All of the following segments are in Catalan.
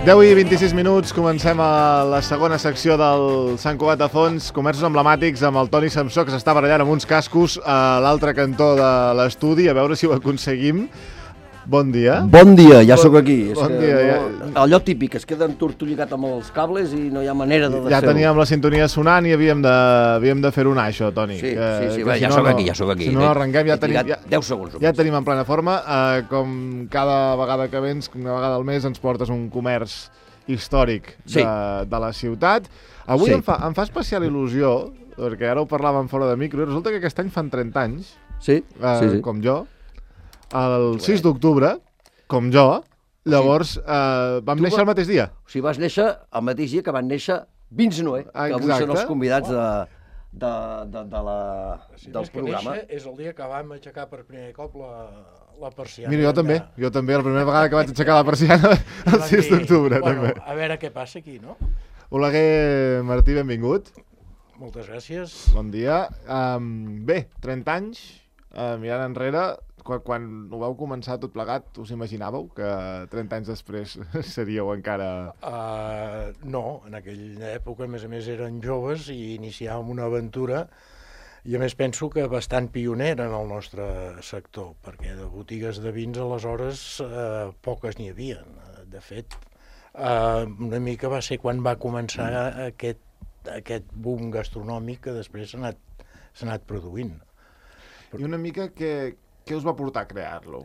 10:26, comencem a la segona secció del Sant Cugat de Fons, comerços emblemàtics, amb el Toni Samsó, que s'està barallant amb uns cascos a l'altre cantó de l'estudi, a veure si ho aconseguim. Bon dia. Bon dia, ja sóc aquí. Bon dia. Allò típic, es queda entortolligat amb els cables i no hi ha manera de Ja teníem la sintonia sonant i havíem de fer-ho anar, això, Toni. Sí, ja sóc aquí. Si no arrenquem, ja tenim... 10 segons. Ja tenim en plena forma. Com cada vegada que vens, una vegada al mes, ens portes un comerç històric de la ciutat. Avui em fa especial il·lusió, perquè ara ho parlàvem fora de micro, i resulta que aquest any fan 30 anys, com jo, el 6 d'octubre, com jo, llavors vam néixer el mateix dia. O sigui, vas néixer el mateix dia que van néixer Vins Noé, que avui són els convidats del programa. És el dia que vam aixecar per primer cop la persiana. Mira, jo també, la primera vegada que vaig aixecar la persiana, el 6 d'octubre, també. A veure què passa aquí, no? Oleguer Martí, benvingut. Moltes gràcies. Bon dia. Bé, 30 anys, mirant enrere, quan ho vau començar tot plegat, us imaginàveu que 30 anys després seríeu encara... No, en aquella època, a més, eren joves i iniciàvem una aventura, i a més penso que bastant pionera en el nostre sector, perquè de botigues de vins aleshores poques n'hi havia. De fet, una mica va ser quan va començar aquest boom gastronòmic que després s'ha anat produint. I una mica què us va portar a crear-lo?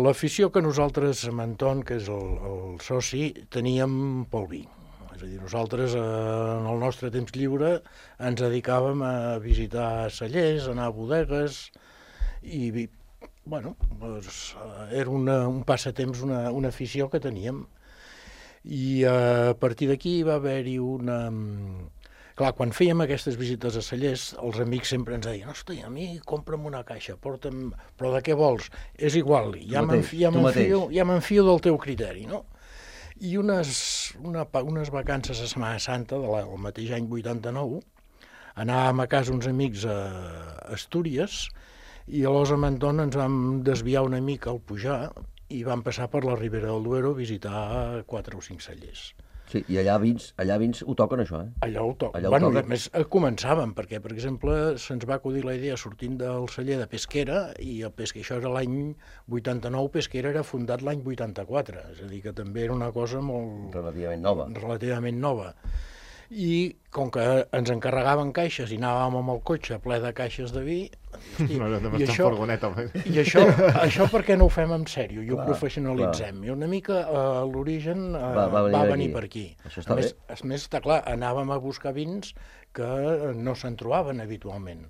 L'afició que nosaltres, amb Anton, que és el soci, teníem pel vi. És a dir, nosaltres en el nostre temps lliure ens dedicàvem a visitar cellers, anar a bodegues, i bueno, era un passatemps, una afició que teníem. I a partir d'aquí va haver-hi una... Clar, quan fèiem aquestes visites a cellers, els amics sempre ens deien: hosti, a mi compra'm una caixa, porta'm... Però de què vols? És igual, ja m'enfio del teu criteri, no? I unes vacances a Setmana Santa, del mateix any 89, anàvem a casa uns amics a Astúries, i llavors amb Anton ens vam desviar una mica al pujar i vam passar per la Ribera del Duero a visitar 4 o 5 cellers. Sí, i allà vins ho toquen, això, eh? Allà ho toquen. Bueno, a més, començàvem, perquè, per exemple, se'ns va acudir la idea sortint del celler de Pesquera, i això era l'any 89, Pesquera era fundat l'any 84, és a dir, que també era una cosa molt... Relativament nova. I com que ens encarregaven caixes i anàvem amb el cotxe ple de caixes de vi, i això per què no ho fem en sèrio i ho professionalitzem? I una mica l'origen va venir per aquí. A més, està clar, anàvem a buscar vins que no se'n trobaven habitualment.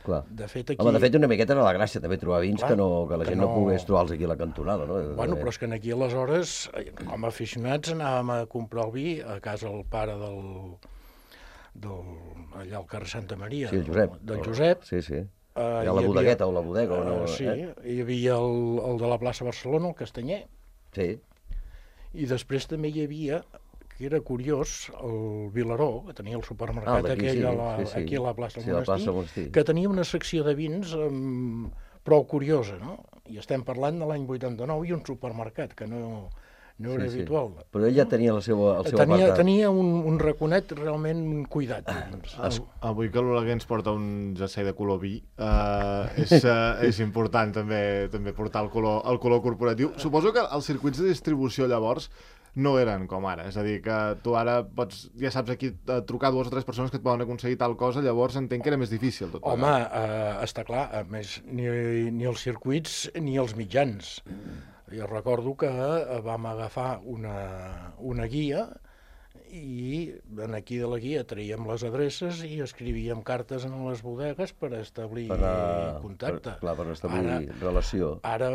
De fet, una miqueta era la gràcia, també, trobar vins que la gent no pogués trobar-los aquí a la cantonada, no? Bueno, però és que aquí aleshores, com a aficionats, anàvem a comprar el vi a casa del pare allà al carrer Santa Maria, del Josep. Sí. Allà a la bodegueta o la bodega. Sí, hi havia el de la plaça Barcelona, el Castanyer. Sí. I després també hi havia, que era curiós, el Vilaró, que tenia el supermercat aquell aquí a la plaça del Monestir, que tenia una secció de vins prou curiosa, no? I estem parlant de l'any 89 i un supermercat, que no era habitual. Però ell ja tenia el seu apartat. Tenia un raconet realment cuidat. Avui que l'Oleguer ens porta un jersei de color vi, és important també portar el color corporatiu. Suposo que els circuits de distribució llavors no eren com ara, és a dir, que tu ara ja saps aquí trucar 2 o 3 persones que et poden aconseguir tal cosa, llavors entenc que era més difícil tot. Home, està clar, a més, ni els circuits ni els mitjans. Jo recordo que vam agafar una guia i aquí de la guia traiem les adreces i escrivíem cartes en les bodegues per establir contacte. Per establir relació. Ara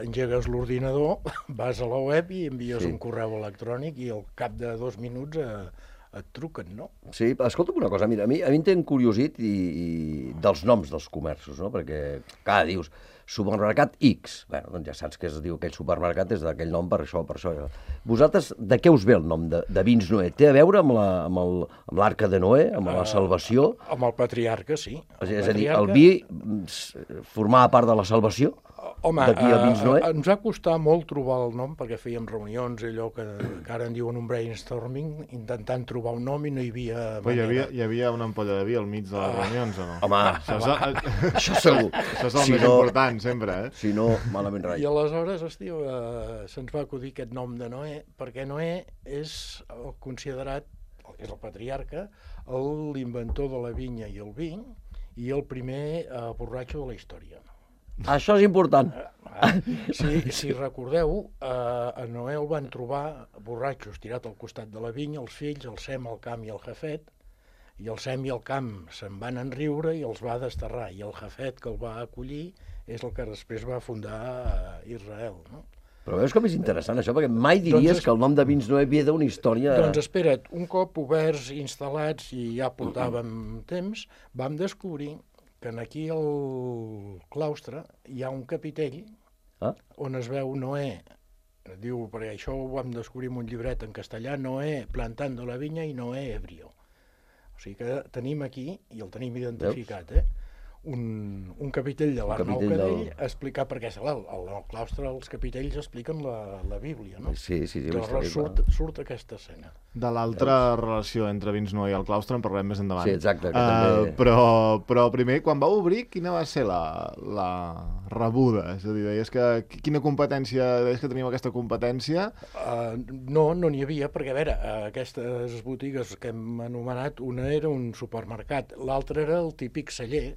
engegues l'ordinador, vas a la web i envies un correu electrònic i al cap de 2 minuts et truquen, no? Sí, escolta'm una cosa, mira, a mi em tenen curiosit dels noms dels comerços, no? Perquè, clar, dius, supermercat X. Bé, doncs ja saps que es diu aquell supermercat és d'aquell nom per això, per això. Vosaltres, de què us ve el nom de Vins Noé? Té a veure amb l'Arca de Noé, amb la salvació? Amb el patriarca, sí. És a dir, el vi formava part de la salvació? Home, d'aquí a Vins Noé? Ens va costar molt trobar el nom, perquè fèiem reunions, allò que ara en diuen un brainstorming, intentant trobar un nom i no hi havia manera. Hi havia una ampolla de vi al mig de les reunions, o no? Home, això segur. Això és el més important, sempre, eh? Si no, malament rai. I aleshores, hòstia, se'ns va acudir aquest nom de Noé, perquè Noé és considerat, és el patriarca, l'inventor de la vinya i el vi, i el primer borratxo de la història. Això és important. Si recordeu, a Noé el van trobar borratxo estirat al costat de la vinya, els fills, el Sem, el Cam i el Jafet, i el Sem i el Cam se'n van enriure i els va desterrar, i el Jafet, que el va acollir, és el que després va fundar Israel, no? Però veus com és interessant això, perquè mai diries que el nom de Vins Noé ve d'una història... Doncs espera't, un cop oberts, instal·lats, i ja portàvem temps, vam descobrir que aquí al claustre hi ha un capitell on es veu Noé, diu, perquè això ho vam descobrir en un llibret en castellà, Noé plantando la vinya i Noé ebrio. O sigui que tenim aquí, i el tenim identificat, un capitell de l'Art Nou Cadell explicar, perquè al claustre els capitells expliquen la Bíblia, no? Sí. Llavors surt aquesta escena. De l'altra relació entre Vins Noé i el claustre en parlarem més endavant. Sí, exacte. També... Però primer, quan va obrir, quina va ser la rebuda? És a dir, deies que quina competència, deies que teníem aquesta competència? No n'hi havia, perquè a veure, aquestes botigues que hem anomenat, una era un supermercat, l'altra era el típic celler,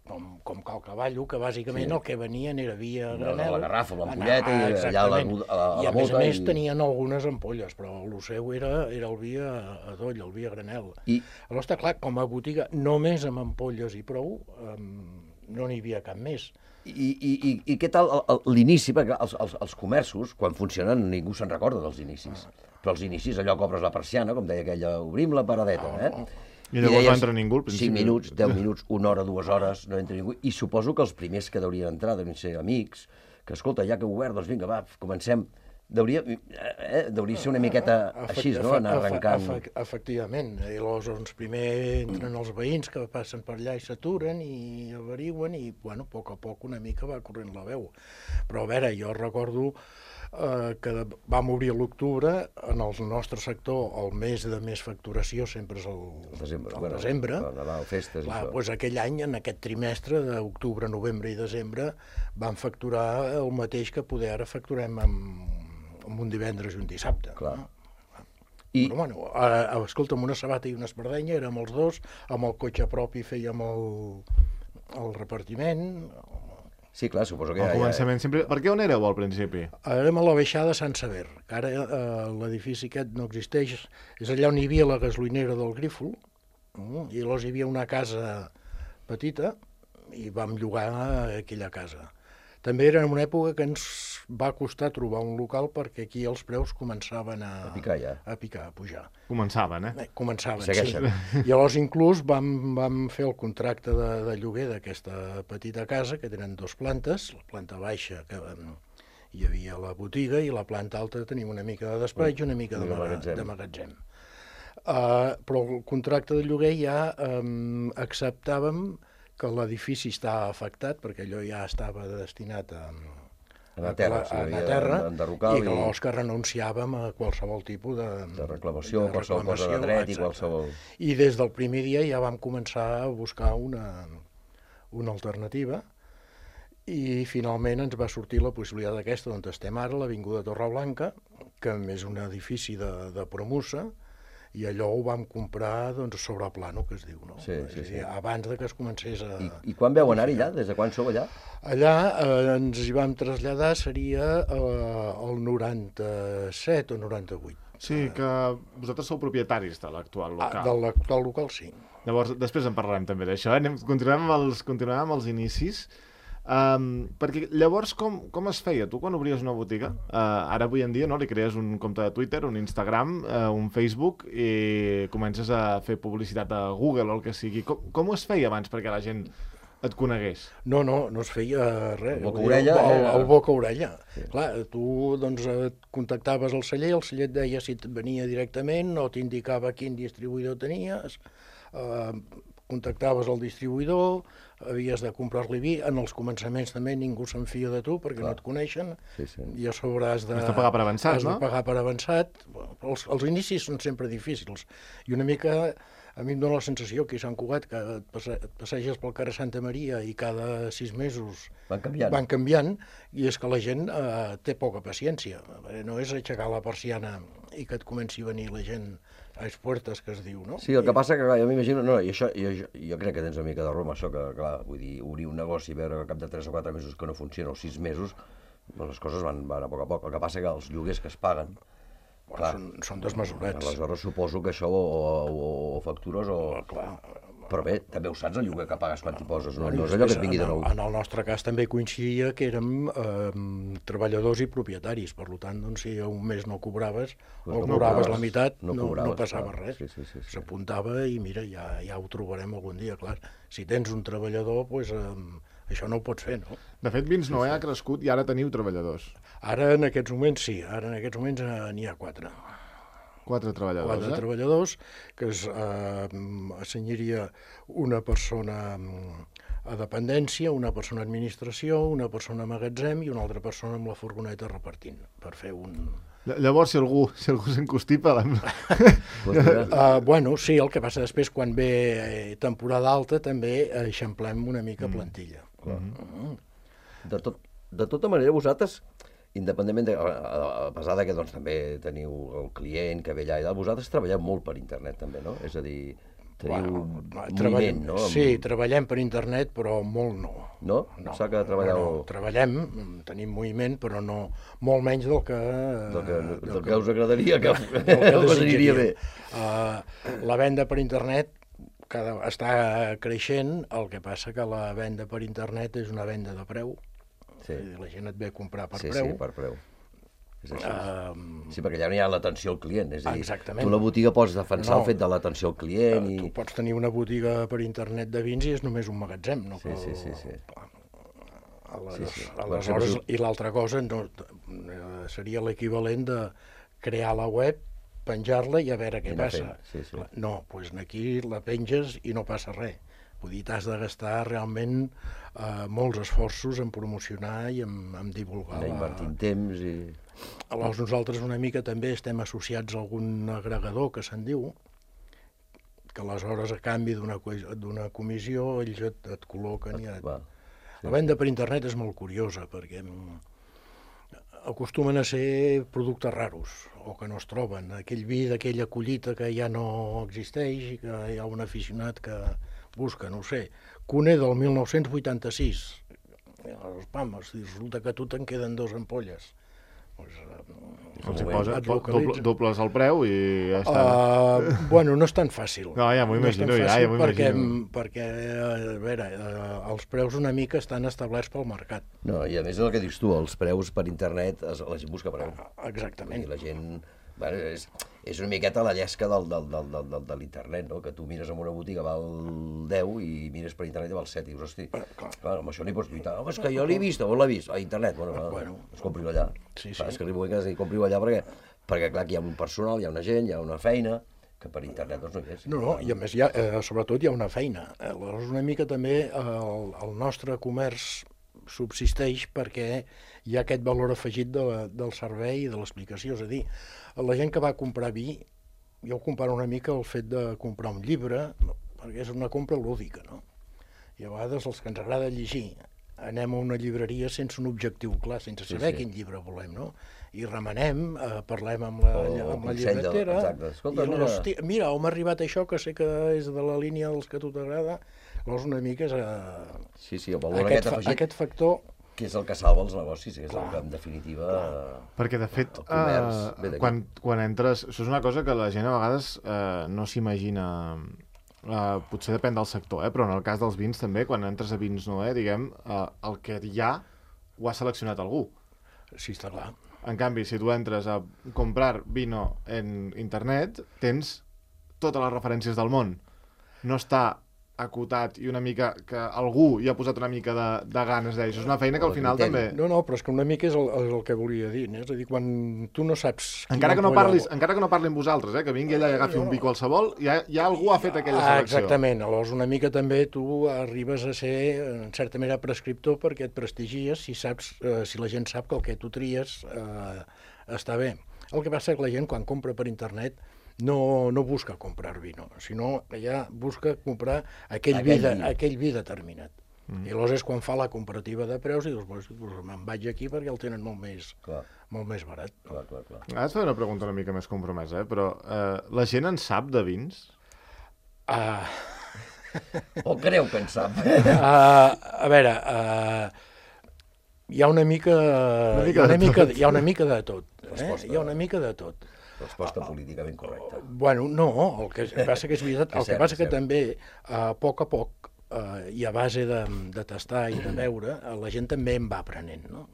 com Cal Cavallo, que bàsicament el que venien era vi a granel. La garrafa, l'ampolleta, i allà a la bota. I a més tenien algunes ampolles, però el seu era el vi a doll, el vi a granel. Aleshores, està clar, com a botiga, només amb ampolles i prou, no n'hi havia cap més. I què tal l'inici? Perquè els comerços, quan funcionen, ningú se'n recorda dels inicis. Però els inicis, allò que obres la persiana, com deia aquella, obrim la paradeta, I llavors no entra ningú al principi. 5 minuts, 10 minuts, 1 hora, 2 hores, no entra ningú. I suposo que els primers que deurien entrar deurien ser amics, que escolta, ja que heu obert, doncs vinga, va, comencem. Deuria ser una miqueta així, no?, anar arrencant. Efectivament. I llavors primer entren els veïns que passen per allà i s'aturen i averigüen i, bueno, a poc a poc una mica va corrent la veu. Però a veure, jo recordo que vam obrir a l'octubre, en el nostre sector el mes de més facturació sempre és el desembre. Nadal, festes i això. Doncs aquell any, en aquest trimestre d'octubre, novembre i desembre, vam facturar el mateix que poder ara facturem en un divendres i un dissabte. Clar. Però bueno, escolta, amb una sabata i una espardenya érem els dos, amb el cotxe propi fèiem el repartiment. Sí, clar, suposo que al començament sempre... Per què on éreu al principi? Érem a la baixada Sant Sever, que ara l'edifici aquest no existeix. És allà on hi havia la gasolinera del Grífol, i llavors hi havia una casa petita i vam llogar aquella casa. També era en una època que ens va costar trobar un local perquè aquí els preus començaven a picar ja. A pujar. Començaven, Començaven, segueixen. Sí. I llavors inclús vam fer el contracte de lloguer d'aquesta petita casa, que tenen 2 plantes, la planta baixa, que hi havia la botiga, i la planta alta tenim una mica de despatx i una mica de magatzem. Però el contracte de lloguer ja acceptàvem que l'edifici està afectat, perquè allò ja estava destinat a la terra, i que llavors que renunciàvem a qualsevol tipus de reclamació, qualsevol cosa de dret i qualsevol... I des del primer dia ja vam començar a buscar una alternativa i finalment ens va sortir la possibilitat aquesta on estem ara, l'Avinguda Torreblanca, que és un edifici de promussa, i allò ho vam comprar sobre plano, que es diu, no? Sí. Abans de que es comencés a... I quan veu anar-hi allà? Des de quan sou allà? Allà ens hi vam traslladar, seria el 97 o 98. Sí, que vosaltres sou propietaris de l'actual local. De l'actual local, sí. Llavors, després en parlarem també d'això. Continuem amb els inicis. Perquè llavors com es feia? Tu quan obries una botiga, ara avui en dia li crees un compte de Twitter, un Instagram, un Facebook i comences a fer publicitat a Google o el que sigui. Com es feia abans perquè la gent et conegués. No es feia res. El boca-orella. El boca-orella. Sí. Clar, tu doncs, et contactaves al celler et deia si et venia directament o t'indicava quin distribuïdor tenies, contactaves el distribuïdor, havies de comprar-li vi. En els començaments també ningú se'n fia de tu perquè no et coneixen, i a sobre has de pagar per avançat, no? Has de pagar per avançat. Els inicis són sempre difícils, i una mica a mi em dóna la sensació que a Sant Cugat, que et passeges pel carrer Santa Maria i cada 6 mesos van canviant, i és que la gent té poca paciència. No és aixecar la persiana i que et comenci a venir la gent a les puertes, que es diu, no? Sí, el que passa que, clar, jo m'imagino, i això, jo crec que tens una mica de raó amb això, que, clar, vull dir, obrir un negoci i veure que al cap de 3 o 4 mesos que no funciona, o 6 mesos, doncs les coses van a poc a poc. El que passa que els lloguers que es paguen, clar, són desmesurats. Aleshores suposo que això o factures o... Clar. Però bé, també ho saps, el lloguer que pagues quan t'hi poses, no és allò que et vingui de nou. En el nostre cas també coincidia que érem treballadors i propietaris, per tant, doncs, si un mes no cobraves, o cobraves la meitat, no passava res. S'apuntava i mira, ja ho trobarem algun dia, clar. Si tens un treballador, doncs això no ho pots fer, no? De fet, Vins Noè ha crescut i ara teniu treballadors. Ara, en aquests moments, sí. Ara, en aquests moments, n'hi ha 4. 4 treballadors, 4 treballadors, que assenyaria una persona a dependència, una persona a administració, una persona a magatzem i una altra persona amb la furgoneta repartint, per fer un... Llavors, si algú s'encostipa... Bueno, sí, el que passa després, quan ve temporada alta, també eixamplem una mica plantilla. De tota manera, vosaltres, independentment a pesar que doncs, també teniu el client que ve allà i tal, vosaltres treballeu molt per internet també, no? És a dir, teniu moviment, no? Sí, treballem per internet, però molt no. No? Sap que treballeu... No, treballem, tenim moviment, però no, molt menys del que... Del que us agradaria, que us aniria bé. La venda per internet està creixent, el que passa que la venda per internet és una venda de preu. La gent et ve a comprar per preu. Sí, per preu. És així. Sí, perquè ja no hi ha l'atenció al client. És a dir, exactament. Tu la botiga pots defensar el fet de l'atenció al client. Tu pots tenir una botiga per internet de vins i és només un magatzem. No? Sí. Aleshores, i l'altra cosa seria l'equivalent de crear la web, penjar-la i a veure què passa. No, doncs aquí la penges i no passa res. Vull dir, t'has de gastar realment molts esforços en promocionar i en divulgar. Invertint temps i... Aleshores, nosaltres una mica també estem associats a algun agregador que se'n diu, que aleshores a canvi d'una comissió ells et col·loquen i et... La venda per internet és molt curiosa perquè acostumen a ser productes raros o que no es troben. Aquell vi d'aquella collita que ja no existeix i que hi ha un aficionat que busca, no ho sé, Cuné del 1986. Resulta que a tu te'n queden 2 ampolles. Dobles el preu i ja està. Bueno, no és tan fàcil. No, ja m'ho imagino, perquè, a veure, els preus una mica estan establerts pel mercat. No, i a més el que dius tu, els preus per internet, la gent busca preu. Exactament. I la gent... Bueno, és una miqueta la llesca de l'internet, no? Que tu mires en una botiga val 10 i mires per internet i val 7 i dius, hosti, clar, amb això no hi pots lluitar. Home, és que jo l'he vist, on l'he vist? A internet. Bueno, es compri-ho allà. És que arribo a casa i compri-ho allà perquè, clar, aquí hi ha un personal, hi ha una gent, hi ha una feina, que per internet doncs no hi és. No, i a més, sobretot hi ha una feina. Aleshores, una mica també el nostre comerç subsisteix perquè hi ha aquest valor afegit del servei i de l'explicació. És a dir, la gent que va comprar vi, jo ho comparo una mica el fet de comprar un llibre, perquè és una compra lúdica, no? I a vegades els que ens agrada llegir anem a una llibreria sense un objectiu clar, sense saber quin llibre volem, no? I remenem, parlem amb la llibretera, i mira, on m'ha arribat això, que sé que és de la línia dels que a tu t'agrada. Llavors una mica és el valor aquest afegit, aquest factor que és el que salva els negocis, és el que en definitiva... Perquè de fet, quan entres... Això és una cosa que la gent a vegades no s'imagina... Potser depèn del sector, però en el cas dels vins també, quan entres a Vins Noè, diguem, el que hi ha ho ha seleccionat algú. Sí, està clar. En canvi, si tu entres a comprar vino en internet, tens totes les referències del món. No està acotat i una mica que algú hi ha posat una mica de ganes d'ell. Això és una feina que al final també... No, però és que una mica és el que volia dir, és a dir, quan tu no saps... Encara que no parli amb vosaltres, que vingui allà i agafi un vi qualsevol, ja algú ha fet aquella selecció. Exactament, aleshores una mica també tu arribes a ser, en certa manera, prescriptor perquè et prestigies si la gent sap que el que tu tries està bé. El que passa és que la gent quan compra per internet no busca comprar vino, sinó ja busca comprar aquell vi determinat. I aleshores és quan fa la comparativa de preus i dius, me'n vaig aquí perquè el tenen molt més barat. Clar. Ara et faré una pregunta una mica més compromesa, però la gent en sap de vins? O creu que en sap? A veure, hi ha una mica de tot. Hi ha una mica de tot. Resposta políticament correcta. Bueno, no, el que passa que és veritat, el que passa que també, a poc i a base de tastar i de veure, la gent també en va aprenent, no?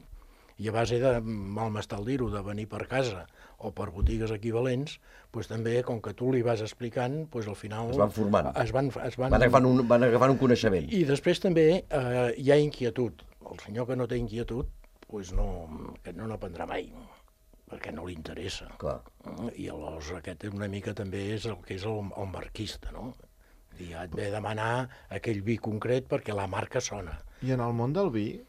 I a base de malmestar el dir-ho, de venir per casa o per botigues equivalents, doncs també, com que tu li vas explicant, doncs al final... Es van formant. Van agafant un coneixement. I després també hi ha inquietud. El senyor que no té inquietud, doncs no n'aprendrà mai, perquè no li interessa. Clar. I aleshores aquest una mica també és el que és el marquista, no? I ja et ve demanar aquell vi concret perquè la marca sona. I en el món del vi,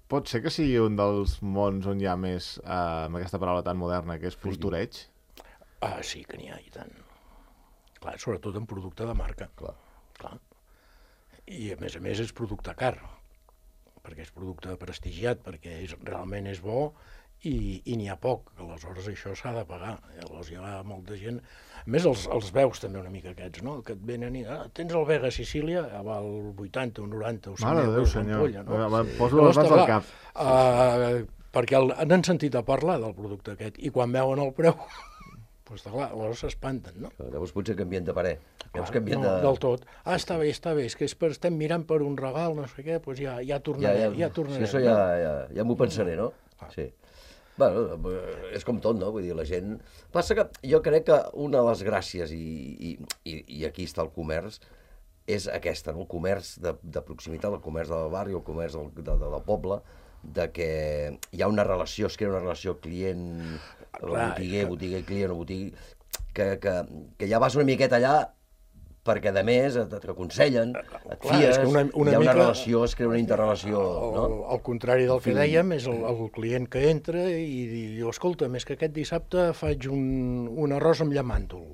pot ser que sigui un dels mons on hi ha més, amb aquesta paraula tan moderna, que és postureig? Sí que n'hi ha, i tant. Clar, sobretot en producte de marca. Clar. I a més és producte car, perquè és producte prestigiat, perquè realment és bo, i n'hi ha poc, aleshores això s'ha de pagar. Aleshores hi ha molta gent... A més, els veus també una mica aquests, no? Que et venen i... tens el Vega Sicília, val 80 o 90 o 100 euros l'ampolla, no? Poso les mans al cap. Perquè n'han sentit a parlar del producte aquest, i quan veuen el preu, doncs clar, aleshores s'espanten, no? Llavors potser canvien de parer. No, del tot. Està bé, és que estem mirant per un regal, no sé què, doncs ja tornarem. Sí, això ja m'ho pensaré, no? Sí. Bueno, és com tot, no? Vull dir, la gent... Passa que jo crec que una de les gràcies, i aquí està el comerç, és aquesta, no? El comerç de proximitat, el comerç del barri, el comerç del poble, de que hi ha una relació, es crea una relació client, botiguer, client o botiguer, que ja vas una miqueta allà perquè, a més, t'aconsellen, et fies, hi ha una relació, es crea una interrelació, no? Al contrari del que dèiem, és el client que entra i diu, escolta, més que aquest dissabte faig un arròs amb llamàntol,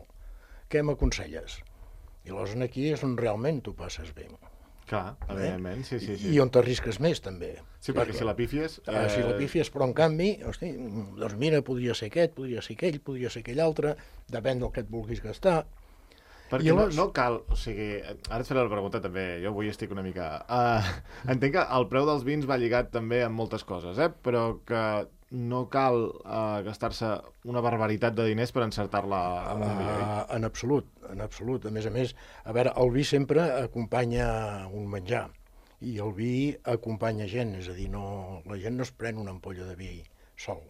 què m'aconselles? I aleshores aquí és on realment tu passes bé. Clar, evidentment, sí. I on t'arrisques més, també. Sí, perquè si la pífies... Si la pífies, però en canvi, hosti, doncs mira, podria ser aquest, podria ser aquell, podria ser aquell altre, depèn del que et vulguis gastar. Perquè no cal, o sigui, ara et faré la pregunta també, jo avui estic una mica... Entenc que el preu dels vins va lligat també amb moltes coses, però que no cal gastar-se una barbaritat de diners per encertar-la amb un millor. En absolut. A més, a veure, el vi sempre acompanya un menjar, i el vi acompanya gent, és a dir, la gent no es pren una ampolla de vi sol.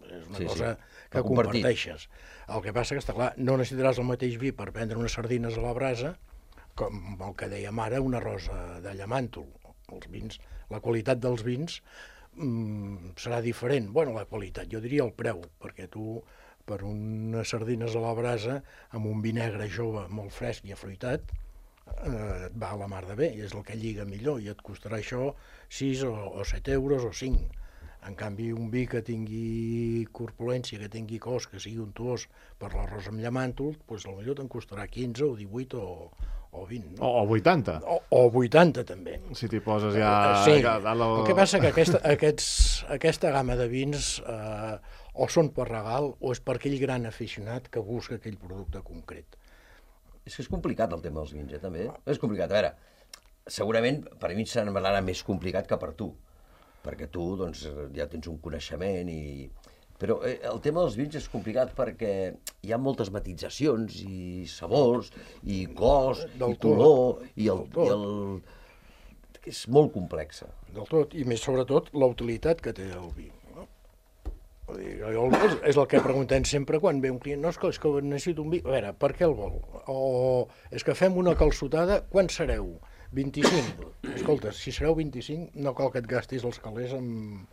És una cosa que comparteixes. El que passa que, està clar, no necessitaràs el mateix vi per prendre unes sardines a la brasa, com el que dèiem ara, una rosa de llamàntol. Els vins, la qualitat dels vins serà diferent. Bueno, la qualitat, jo diria el preu, perquè tu, per unes sardines a la brasa, amb un vi negre jove, molt fresc i afruitat, et va a la mar de bé, i és el que lliga millor, i et costarà això 6 o 7 euros o 5. En canvi, un vi que tingui corpulència, que tingui cos, que sigui untuós per l'arròs amb llamàntol, doncs potser te'n costarà 15 o 18 o 20. No? O 80. O 80, també. Si t'hi poses ja... Sí, el que passa que aquesta gamma de vins o són per regal o és per aquell gran aficionat que busca aquell producte concret. És que és complicat el tema dels vins, també. És complicat. A veure, segurament per mi serà més complicat que per tu, perquè tu doncs, ja tens un coneixement, però el tema dels vins és complicat perquè hi ha moltes matitzacions i sabors, i cos, i color, i és molt complexa. Del tot, i més sobretot la utilitat que té el vi. No? És el que preguntem sempre quan ve un client. No, és que necessito un vi. A veure, per què el vol? O és que fem una calçotada, quan sereu? 25. Escolta, si sereu 25, no cal que et gastis els calés amb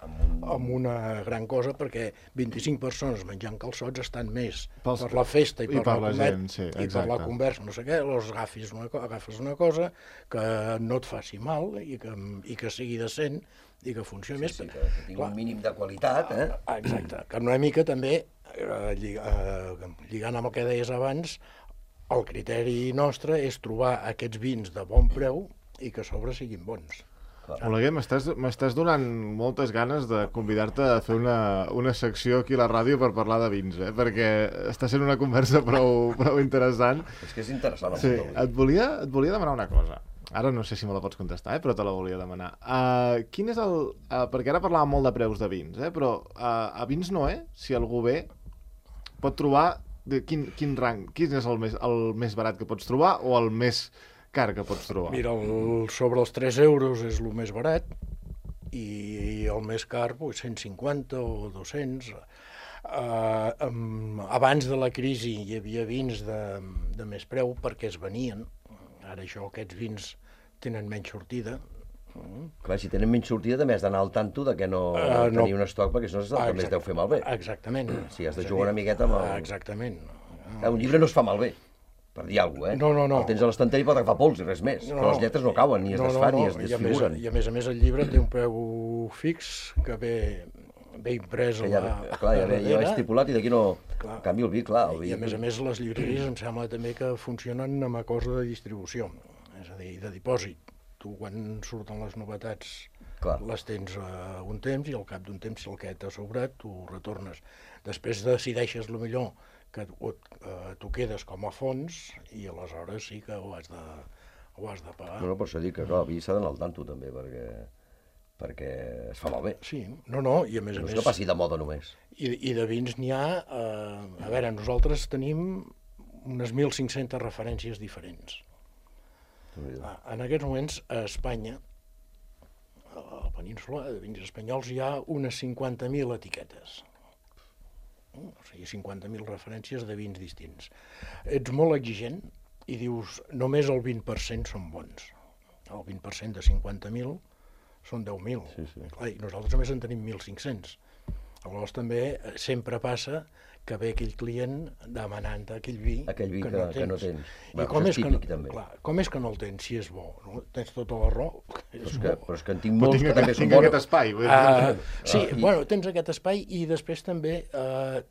una gran cosa, perquè 25 persones menjant calçots estan més per la festa i per la gent, sí, i per la conversa, no sé què, agafes una cosa que no et faci mal i que sigui decent i que funcioni més. Sí, que tingui un mínim de qualitat, eh? Exacte, que una mica també, lligant amb el que deies abans, el criteri nostre és trobar aquests vins de bon preu i que a sobre siguin bons. Oleguer, m'estàs donant moltes ganes de convidar-te a fer una secció aquí a la ràdio per parlar de vins, perquè està sent una conversa prou interessant. És que és interessant. Sí, et volia demanar una cosa. Ara no sé si me la pots contestar, però te la volia demanar. Quin és perquè ara parlàvem molt de preus de vins, però a Vins Noé, si algú ve, pot trobar quin rang, quin és el més barat que pots trobar o el més car que pots trobar? Mira, sobre els 3 euros és el més barat i el més car 150 o 200. Abans de la crisi hi havia vins de més preu perquè es venien. Ara aquests vins tenen menys sortida. Clar, si tenen menys sortida també has d'anar al tanto de que no tenir un estoc, perquè si no també es deu fer malbé. Exactament. Si has de jugar una miqueta amb el... Exactament. Un llibre no es fa malbé, per dir alguna cosa, No. El tens a l'estanteria i pot agafar pols i res més. Però les lletres no cauen, ni es desfan, ni es desfiguren. I a més el llibre té un preu fix que ve imprès a la... Clar, ja va estipulat i d'aquí no... En canvi el vi, clar... I a més les llibreries em sembla també que funcionen amb a cosa de distribució, és a dir, de dipòsit. Tu quan surten les novetats les tens un temps i al cap d'un temps, si el que t'ha sobrat, tu retornes. Després decideixes el millor que tu quedes com a fons i aleshores sí que ho has de pagar. No, per això dic que el vi s'ha d'anar al tanto també, perquè es fa malbé. Sí, i a més a més... No és que passi de moda només. I de vins n'hi ha... A veure, nosaltres tenim unes 1.500 referències diferents. En aquests moments, a Espanya, a la península de vins espanyols, hi ha unes 50.000 etiquetes. O sigui, 50.000 referències de vins distints. Ets molt exigent i dius només el 20% són bons. El 20% de 50.000 són 10.000. Sí. I nosaltres a més en tenim 1.500. Aleshores també sempre passa que ve aquell client demanant aquell vi que no tens. I com és que no el tens si és bo? No? Tens tota la raó. Però és que en tinc molts que també són bons. Tinc aquest espai. Tens aquest espai i després també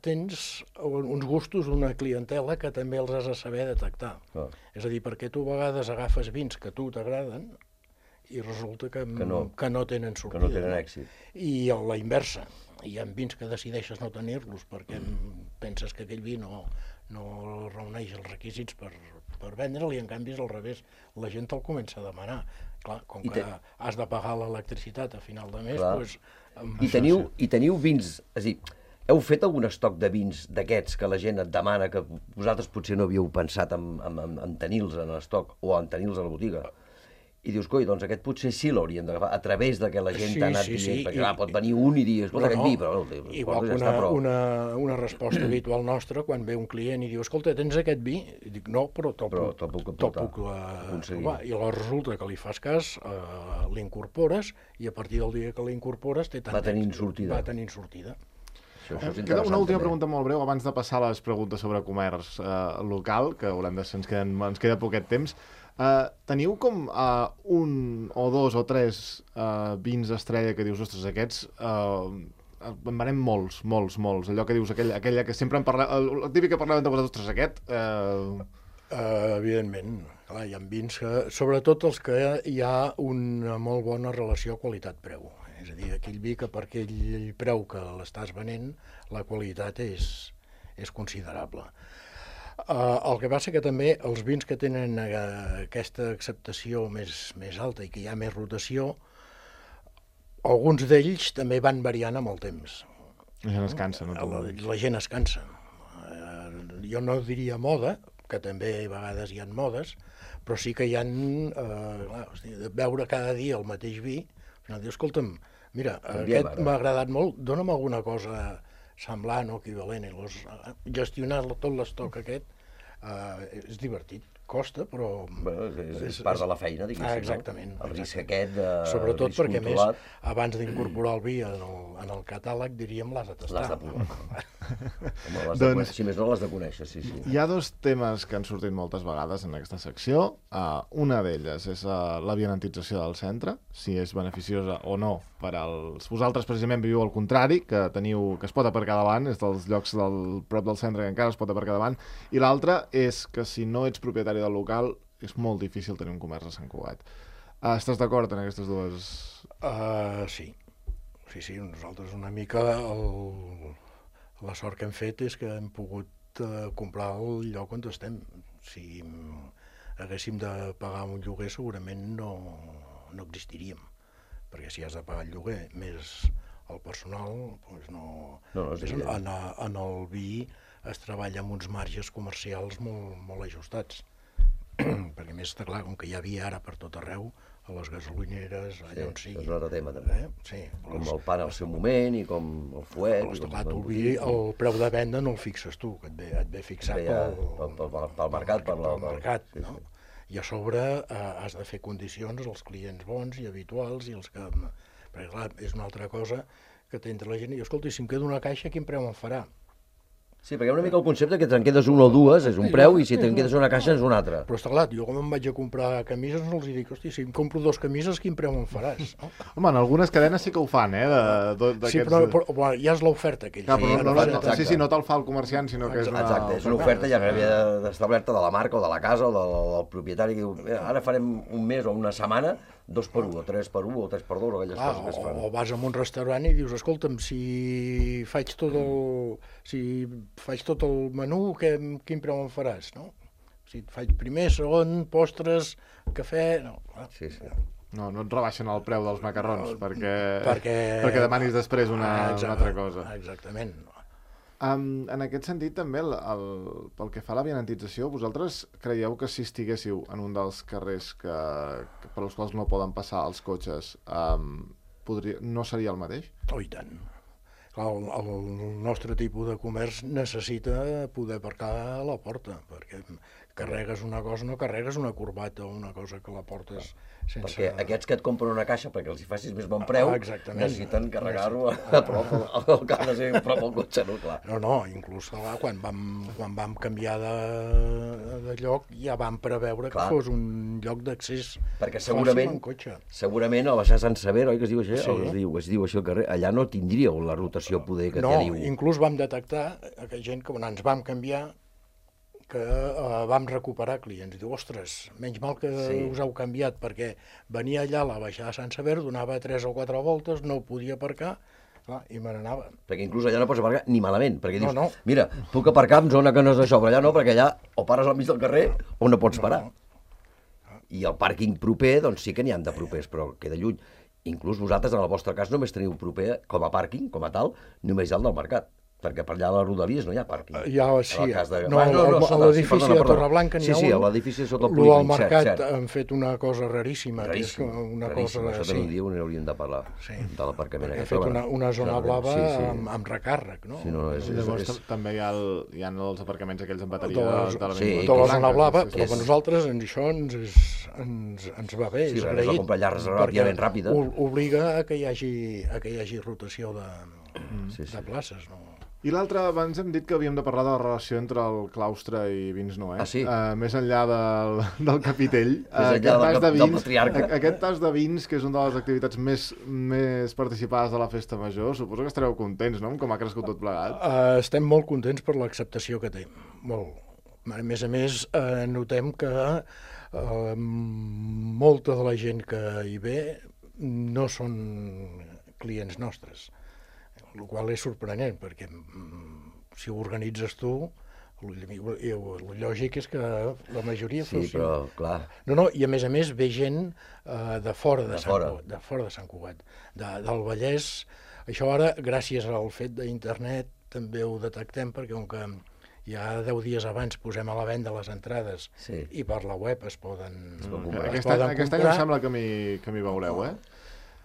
tens uns gustos d'una clientela que també els has de saber detectar. És a dir, perquè tu a vegades agafes vins que a tu t'agraden i resulta que no tenen sortida. Que no tenen èxit. I a la inversa. Hi ha vins que decideixes no tenir-los perquè penses que aquell vi no reuneix els requisits per vendre'l i en canvi és al revés. La gent te'l comença a demanar. Clar, com que has de pagar l'electricitat a final de mes, doncs... I teniu vins... És a dir, heu fet algun estoc de vins d'aquests que la gent et demana que vosaltres potser no havíeu pensat en tenir-los en l'estoc o en tenir-los a la botiga? I dius, coi, doncs aquest potser sí l'hauríem d'agafar, a través de que la gent t'ha anat dient, perquè clar, pot venir un i dir, escolta, aquest vi, però... Igual que una resposta habitual nostra, quan ve un client i diu, escolta, tens aquest vi? I dic, no, però te'l puc trobar. I aleshores resulta que li fas cas, l'incorpores, i a partir del dia que l'incorpores va tenint sortida. Queda una última pregunta molt breu, abans de passar a les preguntes sobre comerç local, que ens queda poquet temps. Teniu com un o dos o tres vins estrella que dius, ostres, aquests en venem molts, allò que dius, aquella que sempre en parlem, el típic que parlem de vosaltres, ostres, aquest... Evidentment, clar, hi ha vins que, sobretot els que hi ha una molt bona relació qualitat-preu, és a dir, aquell vi que per aquell preu que l'estàs venent, la qualitat és considerable. El que passa que també els vins que tenen aquesta acceptació més alta i que hi ha més rotació, alguns d'ells també van variant amb el temps. La gent es cansa, no? La gent es cansa. Jo no diria moda, que també a vegades hi ha modes, però sí que hi ha, veure cada dia el mateix vi, al final dius, escolta'm, mira, aquest m'ha agradat molt, dona'm alguna cosa semblant o equivalent. Gestionar tot l'estoc aquest és divertit. Costa, però... Bueno, és part de la feina, diguéssim. Exactament. No? El risc aquest de sobretot risc perquè, controlat. més, abans d'incorporar el vi en el catàleg, diríem, l'has de tastar. L'has de provar. Si més no, l'has de conèixer, sí. Hi ha dos temes que han sortit moltes vegades en aquesta secció. Una d'elles és l'avianantització del centre, si és beneficiosa o no per als... Vosaltres, precisament, viviu al contrari, que es pot aparcar davant, és dels llocs prop del centre que encara es pot aparcar davant, i l'altra és que si no ets propietari del local, és molt difícil tenir un comerç a Sant Cugat. Estàs d'acord en aquestes dues? Sí. Sí, nosaltres una mica la sort que hem fet és que hem pogut comprar el lloc on estem. Si haguéssim de pagar un lloguer segurament no existiríem, perquè si has de pagar el lloguer més el personal, doncs en el vi es treballa amb uns marges comercials molt ajustats. Perquè més està clar, com que hi ha vi ara per tot arreu, a les gasolineres, allà on sigui. És un altre tema, també. Sí, com el pa al seu moment i com el fuet. Però està clar, el vi, el preu de venda no el fixes tu, que et ve fixat pel mercat. Pel mercat, no? I a sobre has de fer condicions als clients bons i habituals, i els que... Perquè clar, és una altra cosa que t'entra la gent i, escolta, si em quedo una caixa, quin preu em farà? Sí, perquè una mica el concepte que te'n quedes una o dues és un preu i si te'n quedes una caixa és un altre. Però està clar, jo com em vaig a comprar camises no els dic, hosti, si em compro 2 camises, quin preu em faràs? No? Home, en algunes cadenes sí que ho fan, Sí, però ja és l'oferta aquella. Sí, no te'l fa el comerciant, sinó que és una... Exacte, és una oferta ja que havia d'establerta de la marca o de la casa o del propietari que diu, ara farem un mes o una setmana 2x1 o 3x1 o 3x2 o aquelles coses que es fan. O vas a un restaurant i dius, escolta'm, si faig tot el menú, quin preu em faràs, no? Si faig primer, segon, postres, cafè... No. Sí. No et rebaixen el preu dels macarrons perquè demanis després una altra cosa. Exactament. En aquest sentit, també, pel que fa a l'avianantització, vosaltres creieu que si estiguéssiu en un dels carrers per als quals no poden passar els cotxes, no seria el mateix? Oh, i tant. El nostre tipus de comerç necessita poder aparcar a la porta, perquè carregues una cosa, no carregues una corbata o una cosa que la portes sense... Perquè aquests que et compren una caixa perquè els hi facis més bon preu, necessiten carregar-ho a prop, el que ha de ser a prop al cotxe, no? Clar. No, inclús quan vam canviar de lloc ja vam preveure que fos un lloc d'accés fàcil en cotxe. Segurament a baixar Sant Sever, oi que es diu així? Es diu així el carrer, allà no tindríeu la rotació poder que teniu. No, inclús vam detectar que gent que ens vam canviar que vam recuperar clients. Diu, ostres, menys mal que us heu canviat, perquè venia allà a la baixada de Sant Sever, donava 3 o 4 voltes, no ho podia aparcar, i me n'anava. Perquè inclús allà no pots aparcar ni malament, perquè dius, mira, puc aparcar en zona que no és això, però allà no, perquè allà o pares al mig del carrer o no pots parar. I el pàrquing proper, doncs sí que n'hi han de propers, però queda lluny. Inclús vosaltres, en el vostre cas, només teniu proper, com a pàrquing, com a tal, només hi ha el del mercat. Perquè per allà a les Rodalies no hi ha pàrquing. Sí, a l'edifici de Torreblanca n'hi ha un. Sí, a l'edifici sota el polígon, al mercat han fet una cosa raríssima. Raríssim, això també un dia n'hauríem de parlar, de l'aparcament aquest. Han fet una zona blava amb recàrrec, no? Llavors també hi ha els aparcaments aquells amb bateria de la zona blava, però per nosaltres això ens va bé, és agraït. Sí, comprar allà relativament ràpida. Obliga a que hi hagi rotació de places, no? I l'altre, abans hem dit que havíem de parlar de la relació entre el claustre i Vins Noè. Ah, sí? Més enllà del capitell. Més enllà del patriarca. Aquest tas de vins, que és una de les activitats més participades de la festa major, suposo que estareu contents, no?, com ha crescut tot plegat. Estem molt contents per l'acceptació que té, molt. A més, notem que molta de la gent que hi ve no són clients nostres. El qual és sorprenent, perquè si ho organitzes tu, el lògic és que la majoria fos... Sí, però, clar... No, i a més ve gent de fora de Sant Cugat, del Vallès. Això ara, gràcies al fet d'internet, també ho detectem, perquè com que ja 10 dies abans posem a la venda les entrades i per la web es poden comprar. Aquest any em sembla que m'hi veureu,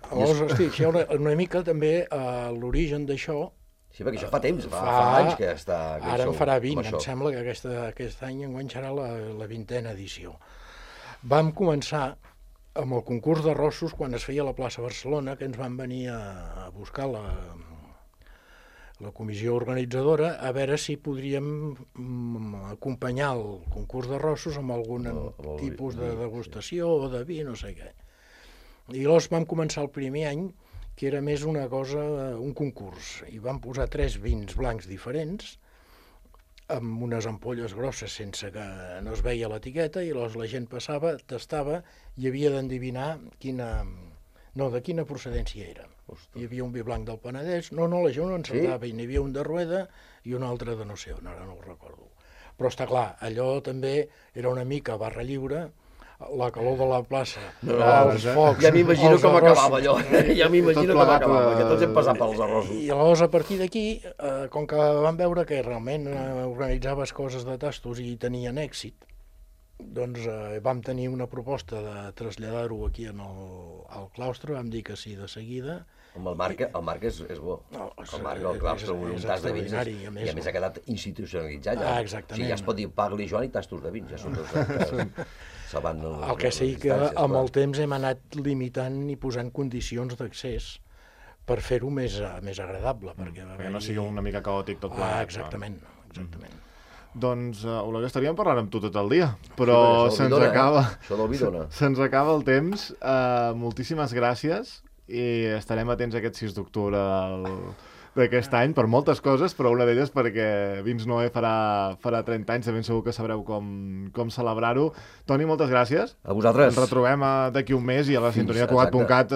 Llavors, hosti, una mica també l'origen d'això Sí, perquè això fa temps, fa anys que està... Ara en farà 20, em sembla que aquest any enguany serà la 20a edició. Vam començar amb el concurs d'arrossos quan es feia a la plaça Barcelona, que ens van venir a buscar la comissió organitzadora a veure si podríem acompanyar el concurs d'arrossos amb algun tipus de degustació o de vi, no sé què. I llavors vam començar el primer any, que era més una cosa, un concurs, i vam posar 3 vins blancs diferents, amb unes ampolles grosses sense que no es veia l'etiqueta, i llavors la gent passava, tastava, i havia d'endevinar de quina procedència era. Hi havia un vi blanc del Penedès, la gent no encertava, i n'hi havia un de Rueda i un altre de no sé on, ara no ho recordo. Però està clar, allò també era una mica barra lliure, la calor de la plaça, els focs... Ja m'imagino com acabava allò, que tots hem passat pels arrossos. I llavors, a partir d'aquí, com que vam veure que realment organitzaves coses de tastos i tenien èxit, doncs vam tenir una proposta de traslladar-ho aquí al claustre, vam dir que sí de seguida. El Marc és bo. El Marc, el claustre, un tas de vins, i a més ha quedat institucionalitzat. Exactament. O sigui, ja es pot dir Pagli Joan i tastos de vins, ja són tots... El que sí que amb el temps hem anat limitant i posant condicions d'accés per fer-ho més agradable. Perquè no sigui una mica caòtic tot plegat. Exactament. Doncs, Oleguer, estaríem parlant amb tu tot el dia, però se'ns acaba el temps. Moltíssimes gràcies i estarem atents a aquest 6 d'octubre d'aquest any per moltes coses, però una d'elles perquè Vins Noé farà 30 anys, de ben segur que sabreu com celebrar-ho. Toni, moltes gràcies. A vosaltres. Ens retrobem d'aquí un mes i a la sintonia Cugat.cat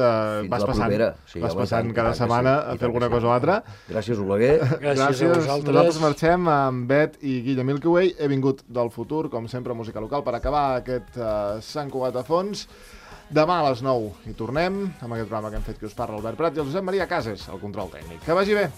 vas passant cada setmana a fer alguna cosa o altra. Gràcies, Oleguer. Gràcies a vosaltres. Nosaltres marxem amb Bet i Guilla Milkyway. He vingut del futur, com sempre, música local, per acabar aquest Sant Cugat a fons. Demà a les 9 hi tornem amb aquest programa que hem fet que us parla Albert Prat i el Josep Maria Cases, el control tècnic. Que vagi bé!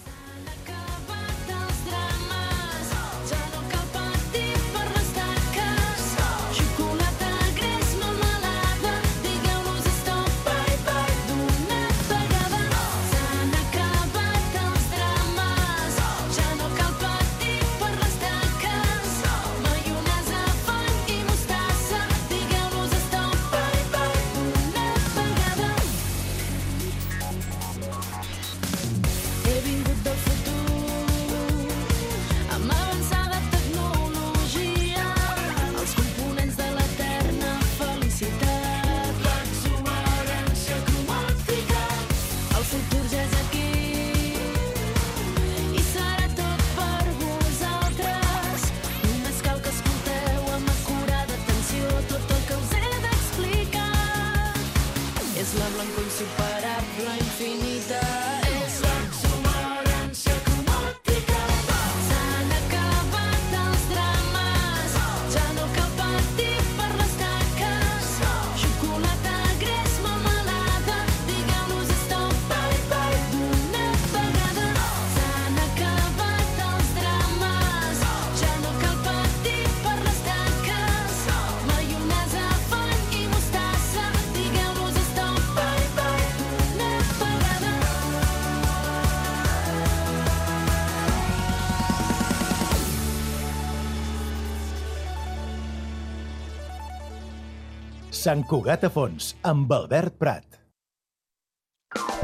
Sant Cugat a fons, amb Albert Prat.